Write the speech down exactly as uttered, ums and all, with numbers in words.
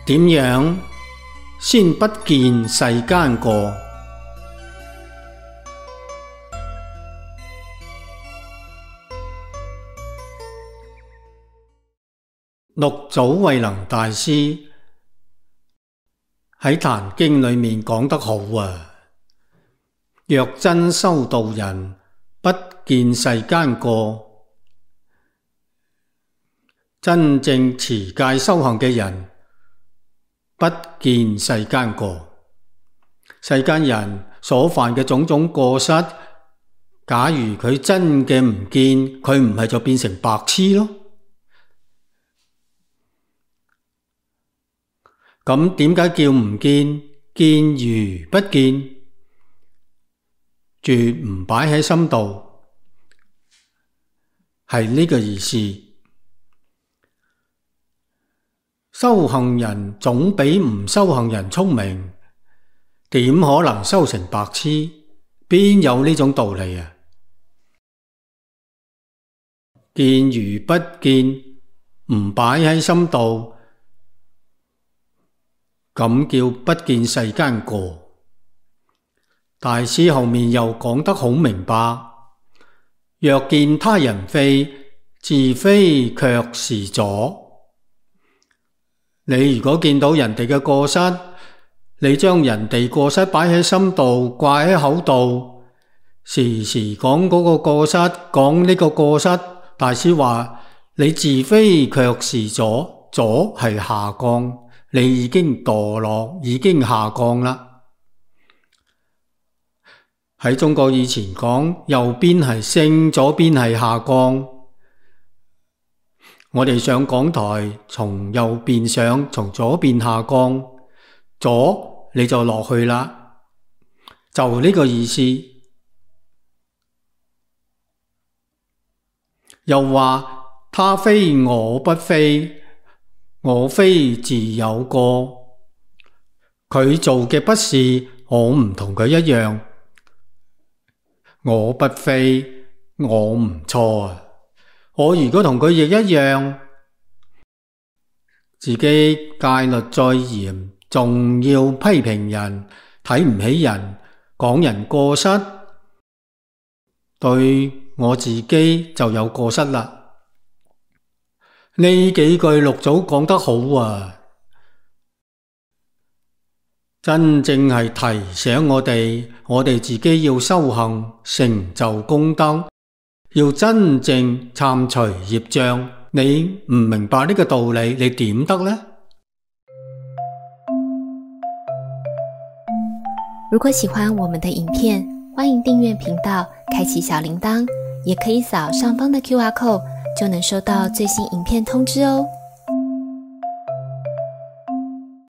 點樣先不見世間過？六祖慧能大師喺《壇經》裏面講得好啊！若真修道人，不見世間過。真正持戒修行嘅人，不見世間過。世間人所犯嘅種種過失，假如佢真嘅唔見，佢唔係就變成白痴咯。咁點解叫唔見？見如不見，絕唔擺喺心度，係呢個意思。修行人總比唔修行人聰明，點可能修成白痴？邊有呢種道理啊？見如不見，唔擺喺心度，咁叫不見世間過。大師後面又講得好明白，若見他人非，自非卻是左。你如果見到人哋嘅過失，你將人哋過失擺喺心度，掛喺口度，時時講嗰個過失，講呢個過失，大師話你自非卻是左，左係下降。你已經墮落，已經下降啦。喺中國以前講，右邊係升，左邊係下降。我哋上講台，從右邊上，從左邊下降，左你就落去啦，就呢個意思。又話他非我不非，我非自有過。佢做嘅不是，我唔同佢一樣。我不非，我唔錯啊。我如果同佢亦一樣，自己戒律再嚴，仲要批評人，睇唔起人，講人過失，對我自己就有過失啦。呢幾句六祖講得好啊，真正係提醒我哋，我哋自己要修行，成就功德，要真正懺除業障。你唔明白呢個道理，你點得呢？如果喜歡我們的影片，歡迎訂閱頻道，開啟小鈴鐺，也可以掃上方的 Q R code，就能收到最新影片通知哦。